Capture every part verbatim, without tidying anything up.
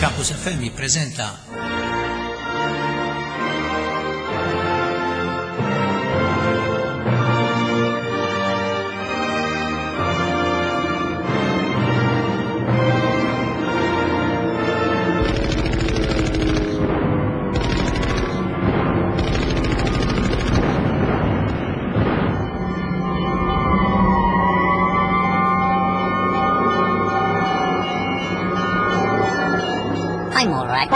Campus F M jippreżenta I'm all right.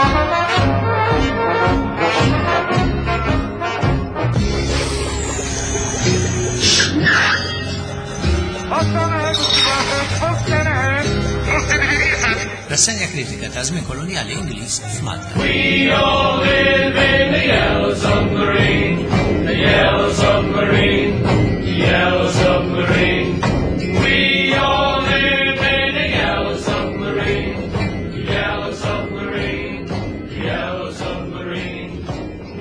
Rassegna kritika ta' żmien koloniali Ingliż f'Malta. We all live in the yellow submarine, the yellow submarine, the yellow submarine. We all live in the yellow submarine, the yellow submarine, the yellow submarine.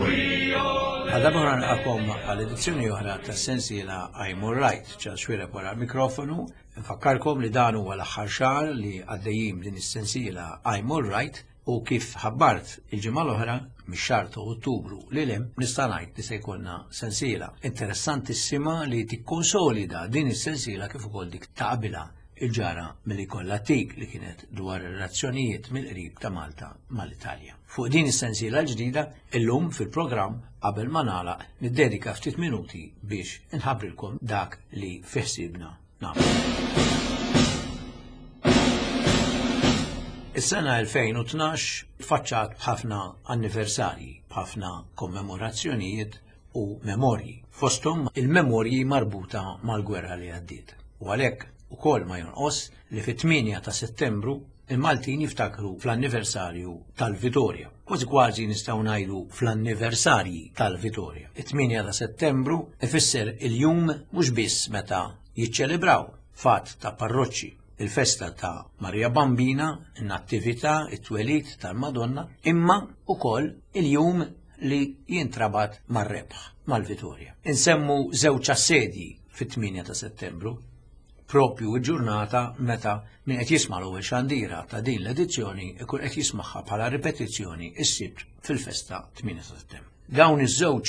We all live. Għadha oħra nilqakom għal edizzjoni oħra tas-sensiela I'm All Right, Charles Xuereb wara l-mikrofonu. Nfakkarkom li dan huwa l-aħħar xahar li għaddejjin din is-sensiela I'm All Right u kif ħabbart il-ġimgħa l-oħra mix-xahar ta' Ottubru lil hemm nista' ngħid li se jkollna sensiela interessantissima li tikkonsolida din is-sensiela kif ukoll dik ta' qabilha il-ġara milli kollha tik li kienet dwar ir-relazzjonijiet mill-qrib ta' Malta mal-Italja. Fuq din is-sensiela l-ġdida, illum fil-programm qabel ma nagħlaq niddedika ftit minuti biex inħabbrilkom dak li fi ħsiebna nagħmlu. Is-sena elfejn u tnax faċċat b'ħafna anniversarji, b'ħafna kommemorazzjonijiet u memorji. Fosthom il-memorji marbuta mal-gwerra li għaddiet. U għalhekk ukoll ma jonqos li fit-tmienja ta' Settembru il-Maltin jiftakru fl-anniversarju tal-Vitorja. Kważi kważi nistgħu ngħidu fl-anniversarji tal-Vitorja. It-tmienja ta' Settembru ifisser il-jum mhux biss meta jiċċelebraw fatt ta' parroċċi il-festa ta' Maria Bambina, in-nattività, it-twelid tal-Madonna, imma ukoll il-jum li jintrabat mar-rebħ, mal-Vitorja. Insemmu żewġ assedji fit-tmienja ta' Settembru, propju l-ġurnata meta min qed jisma' l-ewwel xandira ta' din l-edizzjoni ikun qed jismagħha bħala ripetizzjoni s-Sibt fil-festa tmienja ta' Settembru. Dawn iż-żewġ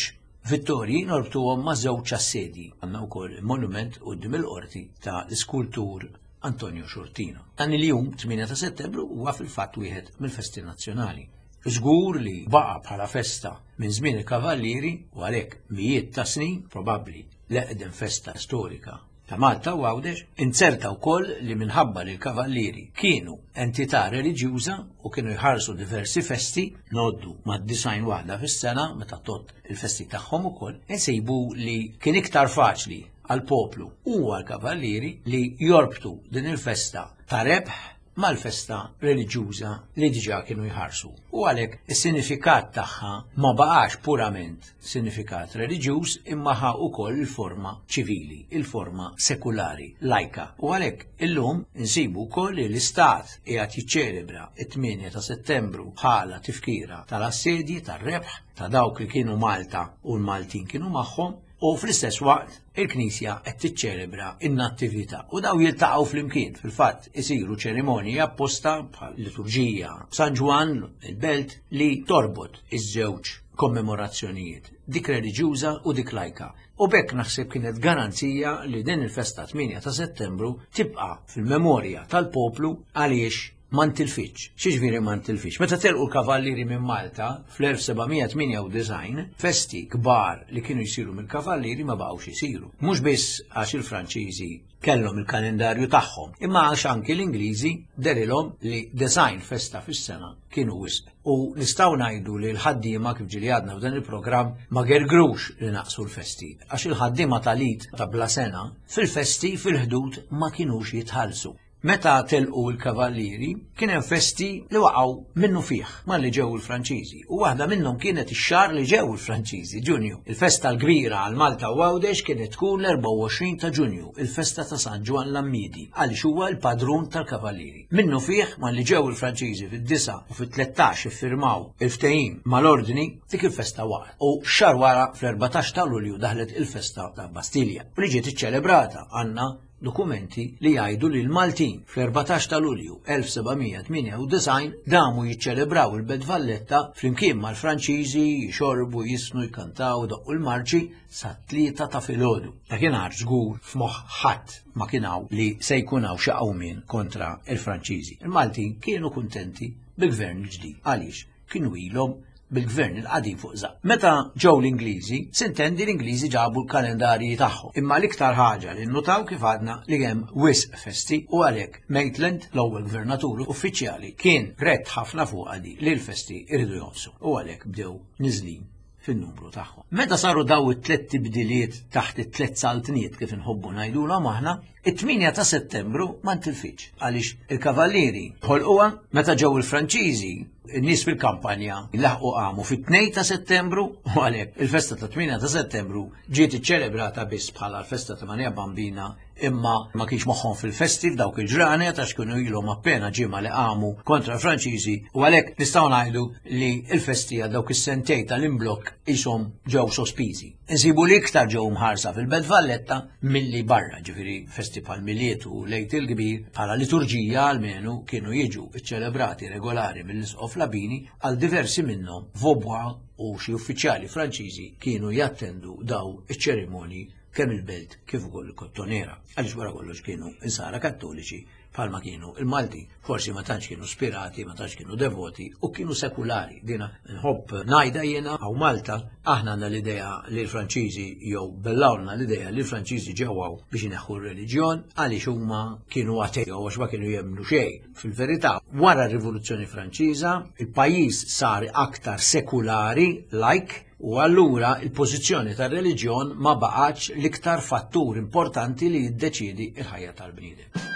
vittorji norbtuhom ma' żewġ assedji. Għandna wkoll monument quddiem il-qorti ta' l-iskultur Antonio Sciortino. Dan il-jum tmienja ta' Settembru huwa fil-fatt wieħed mill-festi nazzjonali. Żgur li baqa' bħala festa minn żmien il-Kavallieri u għalhekk mijiet ta' snin, probabbli l-eqdem festa storika ta' Malta u Għawdex, inzerta wkoll li minħabba li l-Kavallieri kienu entità reliġjuża u kienu jħarsu diversi festi, noddu mad-disgħin waħda fis-sena meta tott il-festi tagħhom ukoll, insibu li kien iktar faċli għall-poplu u għall-Kavallieri li jorbtu din il-festa ta' rebħ mal-festa reliġjuża li diġà kienu jħarsu. U għalhekk is-sinifikat tagħha ma baqax purament sinifikat reliġjuż imma ħa wkoll il-forma ċivili, il-forma sekulari, lajka. U għalhekk illum insibu wkoll li l-Istat qiegħed jiċċelebra it-tmienja ta' Settembru bħala tifkira tal-assedji, tar-rebħ, ta' dawk li kienu Malta u l-Maltin kienu magħhom, u fl-istess waqt il-Knisja qed tiċċelebra in-nattività u daw jiltaqgħu flimkien. Fil-fatt isiru ċerimonji apposta bħal liturġija San Ġwann il-Belt li torbot iż-żewġ kommemorazzjonijiet, dik reliġjuża u dik lajka. U b'hekk naħseb kienet garanzija li din il-festa tmienja ta' Settembru tibqa' fil-memorja tal-poplu għaliex ma ntilfitx. X'jiġifieri ma ntilfitx? Meta telqu l-Kavallieri minn Malta fl-elf seba' mija tmienja u disgħin, festi kbar li kienu jsiru mill-Kavallieri ma baqgħux isiru. Mhux biss għax il-Franċiżi kellhom il-kalendarju tagħhom, imma għax anki l-Ingliżi derilhom li design festa fis-sena kienu wisq. U nistgħu ngħidu li l-ħaddiema kif ġieli għadna f'dan il-programm ma gergrux li naqsu l-festi, għax il-ħaddiema tal-id ta' bla sena fil-festi fil-ħdud ma kinux jitħallsu. Meta telqu l-Kavallieri, kien hemm festi li waqgħu minnu fih malli ġew il-Franċiżi. U waħda minnhom kienet ix-xahar li ġew il-Franċiżi, Ġunju. Il-festa l-kbira għal Malta u Għawdex kienet tkun l-erbgħa u għoxrin ta' Ġunju, il-festa ta' San Ġwann l-Għammiedi, għaliex huwa l-padrun tal-Kavallieri. Minnu fih malli ġew il-Franċiżi fid-disa u fit-tlettax iffirmaw il-ftehim mal-ordni, dik il-festa waqgħet. U xahar wara fl-erbatax ta' Lulju daħlet il-festa ta' Bastilja, u li ġiet iċċelebrata għandna dokumenti li jgħidu li l-Maltin fl-erbatax ta' Lulju elf seba' mija tmienja u disgħin damu jiċċelebraw il-Belt Valletta flimkien mal-Franċiżi, jixorbu, jisnu, jkantaw, doqqu l-marċi sa tlieta ta' filgħodu. Dakinhar żgur f'moħħ ħadd ma kien hawn li se jkun hawn xi qawmien kontra l-Franċiżi. Il-Maltin kienu kuntenti bil-gvern il-ġdid għaliex kienu ilhom bil-gvern il-qadim fuq żaq. Meta ġew l-Ingliżi, sintendi l-Ingliżi ġabu l-kalendarji tagħhom. Imma l-iktar ħaġa li nnutaw kif għadna li hemm wisq festi u għalhekk Maitland, l-ewwel gvernatur uffiċjali, kien rett ħafna fuq għadi li l-festi iridu jonqsu u għalhekk bdew niżlin fin-numru tagħhom. Meta saru daw it-tliet tibdiliet taħt it-tliet saltniet kif inħobbu ngħidulhom aħna, it-tmienja ta' Settembru ma ntilfitx għaliex il-Kavallieri ħolquha meta ġew il-Franċiżi, in-nies fil-kampanja laħqu qamu fit-tnejn ta' Settembru u għalhekk il-festa ta' tmienja ta' Settembru ġiet iċċelebrata biss bħala l-festa ta' Marija Bambina, imma ma kienx moħħhom fil-festi f'dawk il-ġranet għax kienu ilhom appena ġimgħa li qamu kontra l-Franċiżi u għalhekk nistgħu ngħidu li l-festi għal dawk is-sentej tal-imblokk ishom ġew sospiżi. Insibu li iktar ġew mħarsa fil-Belt Valletta milli barra, ġifieri festi bħal Milied u Lejt il-Kbir bħala liturġija almenu kienu jiġu ċċelebrati regolari mill-Isqof Labini għal diversi minnhom Vaubois u xi uffiċjali Franċiżi kienu jattendu daw iċ-ċerimonji kemm il-Belt kif ukoll il-Kottonera, għaliex wara kollox kienu insara kattoliċi bħalma kienu il-Malti, forsi ma tantx kienu spirati, ma tantx kienu devoti u kienu sekulari. Dina nħobb ngħidha jiena hawn Malta, aħna għandna l-idea li l-Franċiżi jew bellawna l-idea li l-Franċiżi ġew hawn biex ineħħu r-reliġjon għaliex huma kienu atei jew għax ma kienu jemmnu xejn. Fil-verità, wara r-Rivoluzzjoni Franċiża, il-pajjiż sar aktar sekulari, like, u allura il-pożizzjoni tar-reliġjon ma baqgħetx l-iktar fattur importanti li jiddeċiedi l-ħajja tal-bniedem.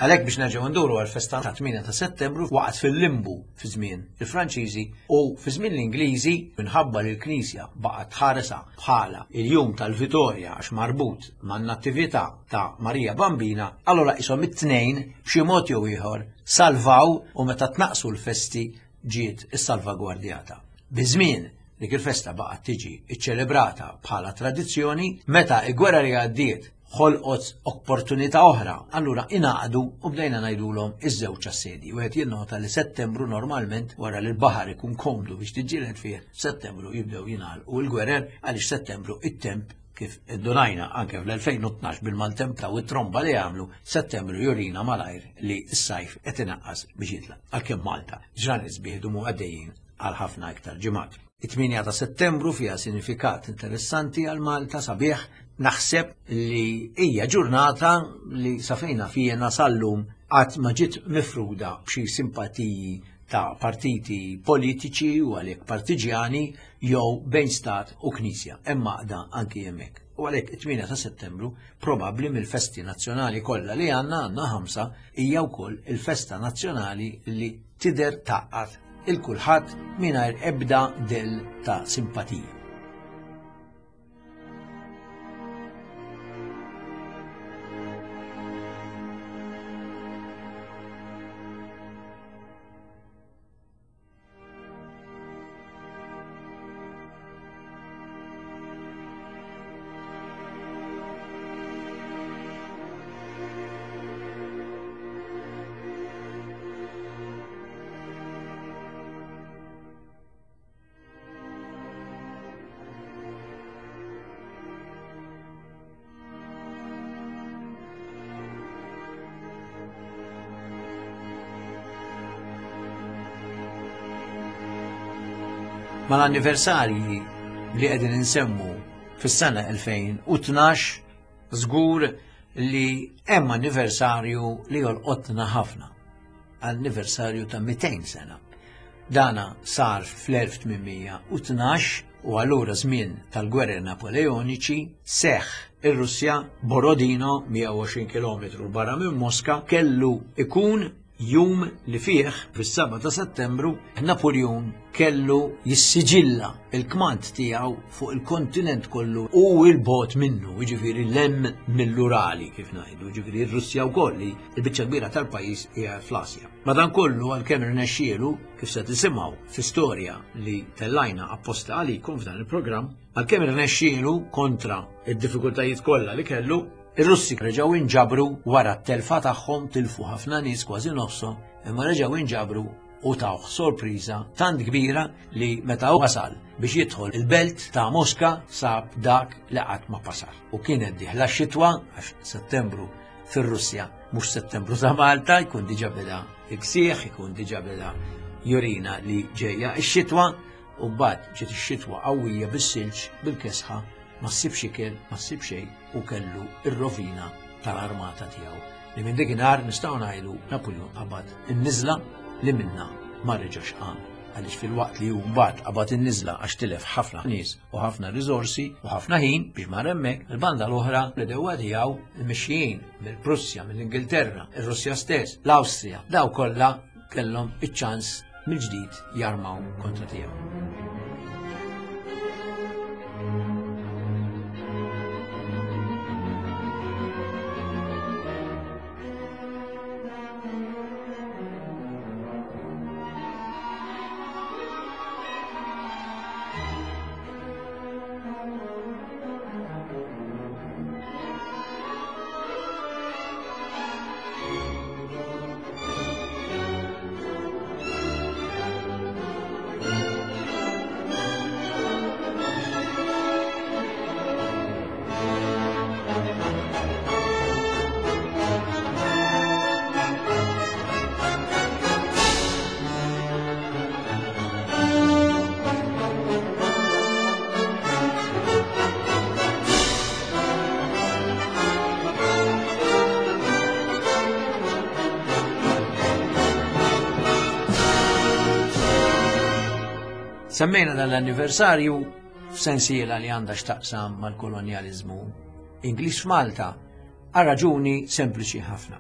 Għalhekk biex nerġgħu nduru għall-festa ta' tmienja ta' Settembru waqgħet fil-limbu fi żmien il-Franċiżi u fi żmien l-Ingliżi minħabba li l-Knisja baqgħet tħaresha bħala il-jum tal-Vitorja għax marbut man-nattività ta' Marija Bambina, allura ishom it-tnejn b'xi mod jew ieħor salvaw u meta tnaqsu l-festi ġiet issalvagwardjata. Biż-żmien dik il-festa baqgħet tiġi ċċelebrata bħala tradizzjoni, meta l-gwerra li għaddiet ħolqot opportunità oħra, allura ingħaqdu u bdejna ngħidulhom iż-żewġ assedji. Wieħed jinnota li Settembru normalment wara li l-baħar ikun komdu biex tiġġieled fih, Settembru jibdew jingħalqu l-gwerer għaliex Settembru it-temp kif iddunajna anke fl-elfejn u tnax bil-maltemp ta' u t-tromba li għamlu, Settembru jurina malajr li s-sajf qed inaqqas biex jitlaq. Għalkemm Malta ġranet sbieħ dumu għaddejjin għal ħafna iktar ġimgħat. It-tmienja ta' Settembru fiha sinifikat interessanti għal Malta sabiħ, naħseb li hija ġurnata li safejna fijena sal-lum qatt ma ġiet mifruda b'xi simpatiji ta' partiti politiċi u għalhekk partiġjani jew bejn stat u knisja, hemm għaqda anki hemmhekk. U għalhekk it-tmienja ta' Settembru probabbli mill-festi nazzjonali kollha li għandna, għandna ħamsa, hija wkoll il-festa nazzjonali li tidher tgħaqqad il-kulħadd mingħajr ebda del ta' simpatija. Mal-anniversarji li qegħdin insemmu fis-sena elfejn u tnax, żgur li hemm anniversarju li jolqotna ħafna. anniversarju ta' mitejn sena. Dana sar fl-elf tmien mija u tnax u allura żmien tal-gwerra Napoleoniċi seħ ir-Russja, Borodino, mija u għoxrin kilometru barra minn Moska, kellu ikun jum li fih fis-seba' ta' Settembru Napoleon kellu jissiġilla il-kmand tiegħu fuq il-kontinent kollu u il-bot minnu, jiġifieri lem mill-Urali kif ngħidu, jiġifieri r-Russja wkoll li l-biċċa kbira tal-pajjiż hija fl-Asja. Madankollu għalkemm irnexxielu, kif se tisimgħu fi storja li tellajna apposta għalikom f'dan il-programm, għalkemm irnexxielu kontra id-diffikultajiet kollha li kellu, ir-Russi reġgħu inġabru wara t-telfa tagħhom, tilfu ħafna nies, kważi nofshom, imma reġgħu inġabru u tawh sorpriża tant kbira li meta wasal biex jidħol il-belt ta' Moska sab dak li qatt ma pasar. U kienet dieħla x-xitwa, għax Settembru fir-Russja mhux Settembru ta' Malta, jkun diġà beda iksieħ, ikun diġà beda jurina li ġejja x-xitwa, u mbagħad ġiet ix-xitwa qawwija bis-silġ, bil-kesħa, ma ssibx ikel, ma ssib xejn, u kellu ir-rovina tal-armata tiegħu. Li minn dakinhar nistgħu ngħidu Napoleon qabad in-niżla li minna ma reġax qam. Għaliex fil-waqt li hu mbagħad qabad in-niżla għax tilef ħafna nies u ħafna riżorsi u ħafna ħin biex mar hemmhekk, il-banda l-oħra l-edewwa tiegħu il-mixjin mill-Prussja, mill-Ingilterra, ir-Russja stess, l-Awstrija, daw kollha kellhom iċ-ċans mill-ġdid jarmaw kontra tiegħu. Semmejna dan l-anniversarju f'sensiela li għandha x'taqsam mal-kolonjaliżmu Ingliż f'Malta għal raġuni sempliċi ħafna.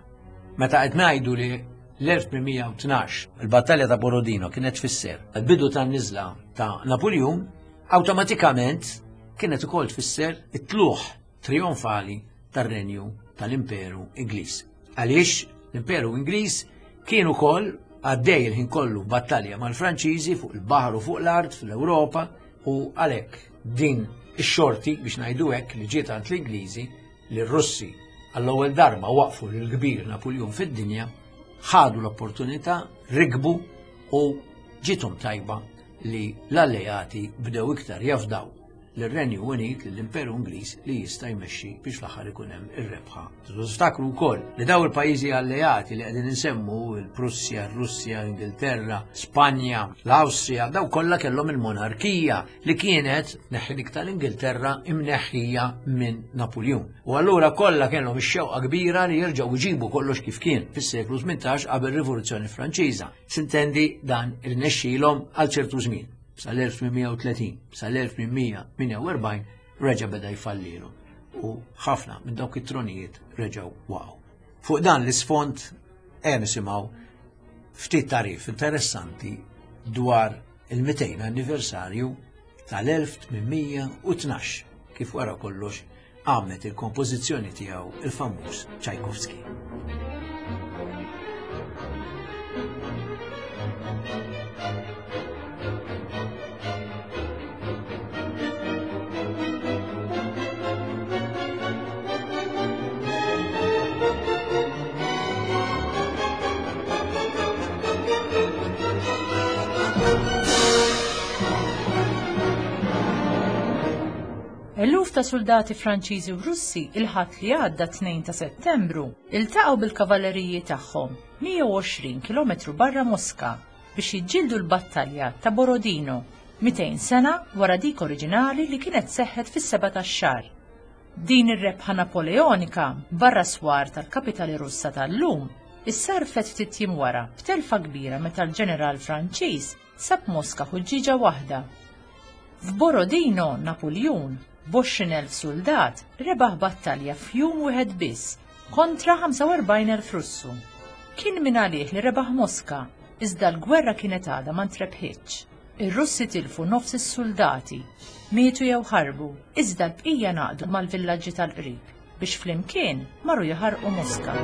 Meta qed ngħidu li l-elf tmien mija u tnax il-battalja ta' Borodino kienet tfisser il-bidu tan-niżla ta' Napoleon, awtomatikament kienet ukoll tfisser it-tluħ trionfali tar-renju tal-Imperu Ingliż. Għaliex l-Imperu Ingliż kien ukoll għaddej il-ħin kollu battalja mal-Franċiżi fuq il-baħar u fuq l-art fl-Ewropa, u għalhekk din ix-xorti biex ngħidu hekk li ġiet għand l-Ingliżi li r-Russi għall-ewwel darba waqfu lil kbir Napoleon fid-dinja, ħadu l-opportunità, rikbu u ġiethom tajba li l-alleati bdew iktar jafdaw lir-Renju Unit, lill-Imperu Ingliż li jista' jmexxi biex l-aħħar ikun hemm ir-rebħa. Tiftakru wkoll li daw il-pajjiżi alleati li qegħdin insemmu, il-Prussja, ir-Russja, l-Ingilterra, Spanja, l-Awstrija, daw kollha kellhom il-monarkija li kienet neħħi dik tal-Ingilterra imneħħija minn Napoleon. U allura kollha kellhom ix-xewqa kbira li jerġgħu jġibu kollox kif kien fis-seklu tmintax qabel rivoluzzjoni Franċiża. Sintendi dan irnexxielhom għal ċertu żmien. Sal-elf tmien mija u tletin, sal-elf tmien mija tmienja u erbgħin reġa' beda jfallilu u ħafna minn dawk it-tronijiet reġgħu waqgħu. Fuq dan l-isfond hemm nisimgħu ftit tarif interessanti dwar il-mitejn anniversarju tal-elf tmien mija u tnax kif wara kollox għamlet il-kompożizzjoni tiegħu il-famuż Tchaikovsky. Eluf ta' soldati Franċiżi u Russi il-Ħadd li għadda tnejn ta' Settembru iltaqgħu bil-kavalleriji tagħhom mija u għoxrin kilometru barra Moska biex jiġġieldu l-battalja ta' Borodino mitejn sena wara dik oriġinali li kienet seħħet fis-seba' tax-xahar. Din ir-rebħa Napoleonika barra swar tal-kapitali Russa tal-lum Issarfet ftit jiem wara b'telfa kbira meta l-ġeneral Franċiż sab Moska ħuġġieġa waħda. F'Borodino, Napuljun, b'għoxrin elf suldat, rebaħ battalja f'jum wieħed biss kontra ħamsa u erbgħin elf Russu. Kien minn għalih li rebaħ Moska, iżda l-gwerra kienet għadha ma ntrebħitx. Ir-Russi tilfu nofs is-soldati, mietu jew ħarbu, iżda l-bqija naqdu mal-villaġġi tal-qrib biex flimkien marru jaħarqu Moska.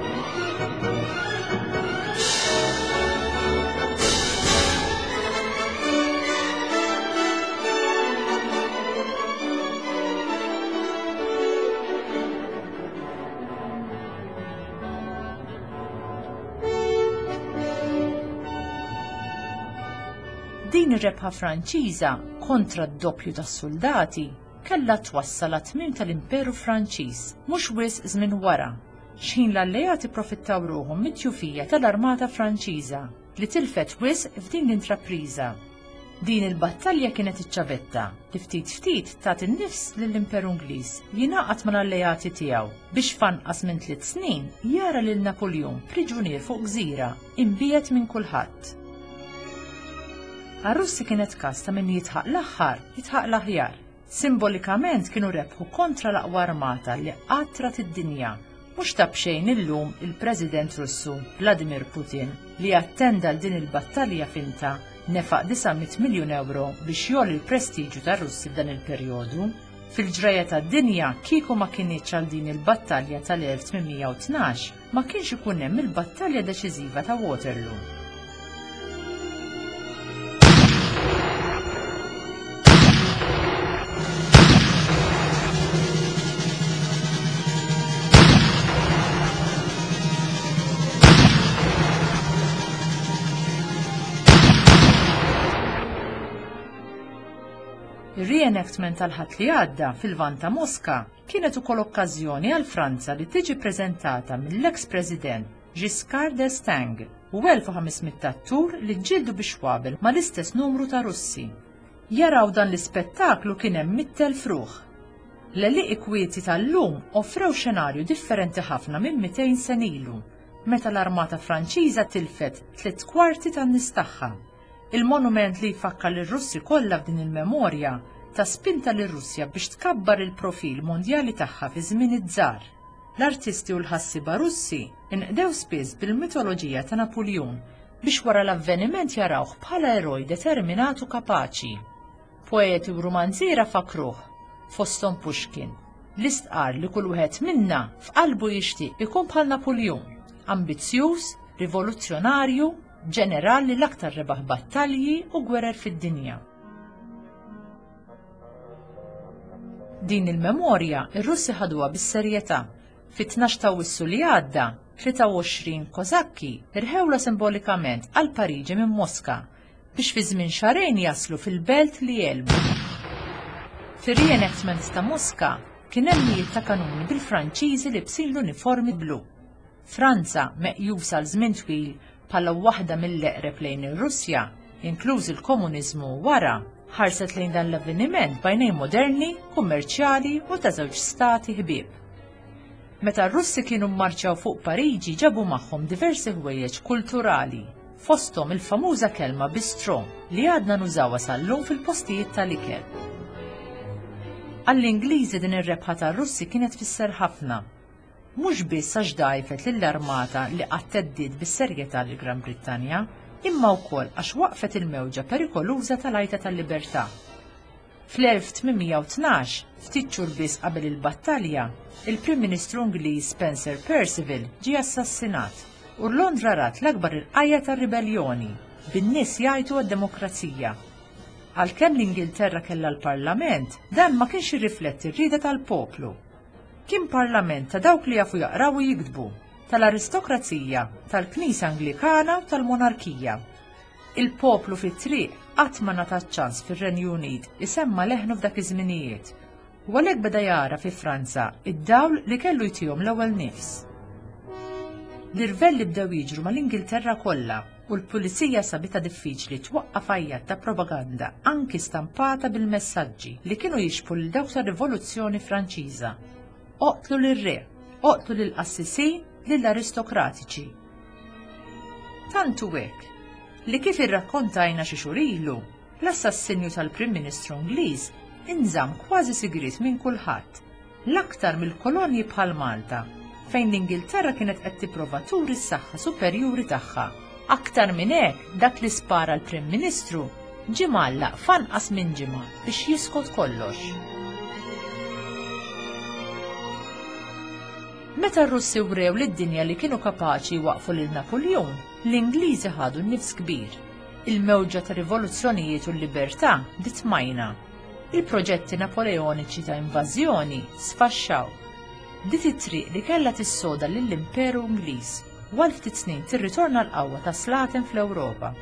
Din ir-rebħa Franċiża kontra d-doppju tas-soldati kellha twassal għat-tmiem tal-Imperu Franċiż mhux wisq żmien wara, x'ħin l-alleati profittaw ruħhom mit-tjufija tal-Armata Franċiża li tilfet wisq f'din l-intrapriża. Din il-battalja kienet iċ-ċavetta li ftit ftit tat in-nifs lill-Imperu Ingliż jingħaqad mal-alleati tiegħu biex f'anqas minn tliet snin jara lil Napuljun priġunier fuq gżira imbiegħed minn kulħadd. Għar-Russi kienet każ ta' min jitħaq l-aħħar, jitħaq l-aħjar. Simbolikament kienu rebħu kontra l-aqwa armata li qatt rat id-dinja. Mhux ta' b'xejn illum il-President Russu Vladimir Putin li attenda għal din il-battalja finta nefaq disa' mitt miljun euro biex jgħolli l-prestiġju tar-Russi f'dan il-perjodu. Fil-ġrajja tad-dinja kieku ma kinitx għal din il-battalja tal-elf tmien mija u tnax ma kienx ikun hemm il-battalja deċiżiva ta' Waterloo. Ir-reenactment tal-Ħadd li għadda fil-Lvant ta' Moska kienet ukoll okkażjoni għal Franza li tiġi preżentata mill-ex-President Giscard d'Estaing u elf u ħames mitt attur li ġġieldu biex xwabel mal-istess numru ta' Russi. Jaraw dan l-ispettaklu kien hemm mitt elf ruħ. L-għelieqi kwieti tal-lum offrew xenarju differenti ħafna minn mitejn sena ilu, meta l-Armata Franċiża tilfet tliet kwarti tan-nies tagħha. Il-monument li jfakkar lir-Russi kollha f'din il-memorja ta' spinta lir-Russja biex tkabbar il-profil mondjali tagħha fi żmien iż-żgħar. L-artisti u l-ħassiba Russi inqdew spiss bil-mitoloġija ta' Napuljun biex wara l-avveniment jarawh bħala eroj determinat u kapaċi. Poeti u rumanziera fakruh, fosthom Pushkin, li stqar li kull wieħed minna f'qalbu jixtieq ikun bħal Napuljun, ambizzjuż, rivoluzzjonarju, ġeneral li l-aktar rebaħ battalji u gwerer fid-dinja. Din il-memorja ir-Russi ħaduha bis-serjetà. Fit-tnax ta' Awwissu li għadda, tlieta u għoxrin Kozakki irħewla simbolikament għal Pariġi minn Moska biex fi żmien xahrejn jaslu fil-belt li jelbu. Fir-reenactment ta' Moska kien hemm mijiet ta' kanuni bil-Franċiżi libsin l-uniformi blu. Franza, meqjusa għal żmien twil bħala waħda mill-eqreb lejn ir-Russja, inkluż il-komuniżmu wara, ħarset lejn dan l-avveniment b'għajnejn moderni, kummerċjali u ta' żewġ stati ħbieb. Meta r-Russi kienu mmarċjaw fuq Pariġi ġabu magħhom diversi ħwejjeġ kulturali, fosthom il-famuża kelma bistro li għadna nużawha sal-lum fil-postijiet tal-ikel. Għall-Ingliżi din ir-rebħa tar-Russi kienet tfisser ħafna. Mhux biss għax dajfet lill-armata li qatt theddid bis-serjetà lil Gran Brittanja, imma wkoll għax waqfet il-mewġa perikoluża tal-għajta tal-libertà. Fl-elf tmien mija u tnax, ftit xhur biss qabel il-battalja, il-Prim Ministru Ingliż Spencer Perceval ġie assassinat u Londra rat l-akbar irqajja tar-ribellioni, bin-nies jgħajtu għad-demokrazija. Għalkemm l-Ingilterra kellha l-Parlament, dan ma kienx jirrifletti r-rieda tal-poplu. Kien parlament ta' dawk li jafu jaqraw u jiktbu, tal-aristokrazija, tal-Knisja Anglikana u tal-Monarkija. Il-poplu fit-triq qatt ma ngħata ċans fir-Renju Unit isemma leħnu f'dak iż-żminijiet, u għalhekk beda jara fi Franza id-dawl li kellu jtihom l-ewwel nifs. L-irvelli bdew jiġru mal-Ingilterra kollha u l-pulizija sabitha diffiċli twaqqaf għajjat ta' propaganda anki stampata bil-messaġġi li kienu jixbhu lil dawk tar-Rivoluzzjoni Franċiża. Oqtlu lir-re, oqtlu lill-qassisin, lill-aristokratiċi. Tant hu hekk li kif irrakkontajna xi xhur ilu, l-assassinju tal-Prim Ministru Ingliż inżamm kważi sigriet minn kulħadd, l-aktar mill-kolonji bħal Malta, fejn l-Ingilterra kienet qed tipprova turi s-saħħa superjuri tagħha. Aktar minn hekk, dak li spara l-Prim Ministru ġie mgħallaq f'anqas minn ġimgħa biex jiskot kollox. Meta r-Russi wrew lid-dinja li kienu kapaċi jwaqfu lil Napoleon, l-Ingliżi ħadu nifs kbir. Il-mewġa ta' rivoluzzjonijiet u l-libertà bdiet tmajna. Il-proġetti napoleoniċi ta' invażjoni sfaxxaw. Bdiet it-triq li kellha tissoda lill-Imperu Ingliż u għal ftit snin tirritorna l-qawwa ta' slaten fl-Ewropa.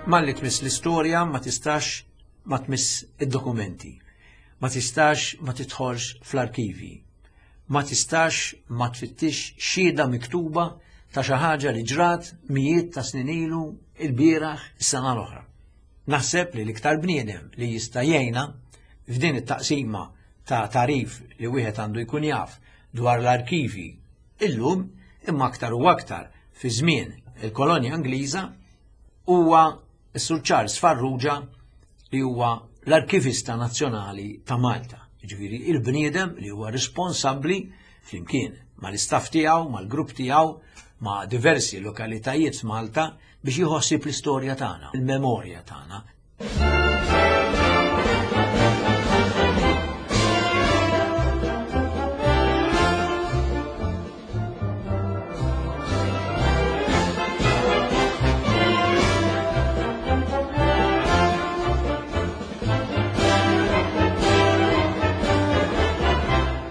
Malli tmiss l-istorja ma tistax ma tmiss id-dokumenti, ma tistax ma tidħolx fl-arkivi, ma tistax ma tfittix xhieda miktuba ta' xi ħaġa li ġrat mijiet ta' snin ilu il-bieraħ is-sena l-oħra. Naħseb li l-iktar bniedem li jista' jgħinna f'din it-taqsima ta' tagħrif li wieħed għandu jkun jaf dwar l-arkivi illum imma aktar u aktar fi żmien il-kolonja Ingliża huwa s-Sur Charles Farrugia li huwa l-Arkivista Nazzjonali ta' Malta. Jiġifieri il-bniedem li huwa responsabbli flimkien mal-istaff tiegħu, mal-grupp tiegħu, ma' diversi lokalitajiet f'Malta biex jieħu ħsieb l-istorja tagħna, il-memorja tagħna.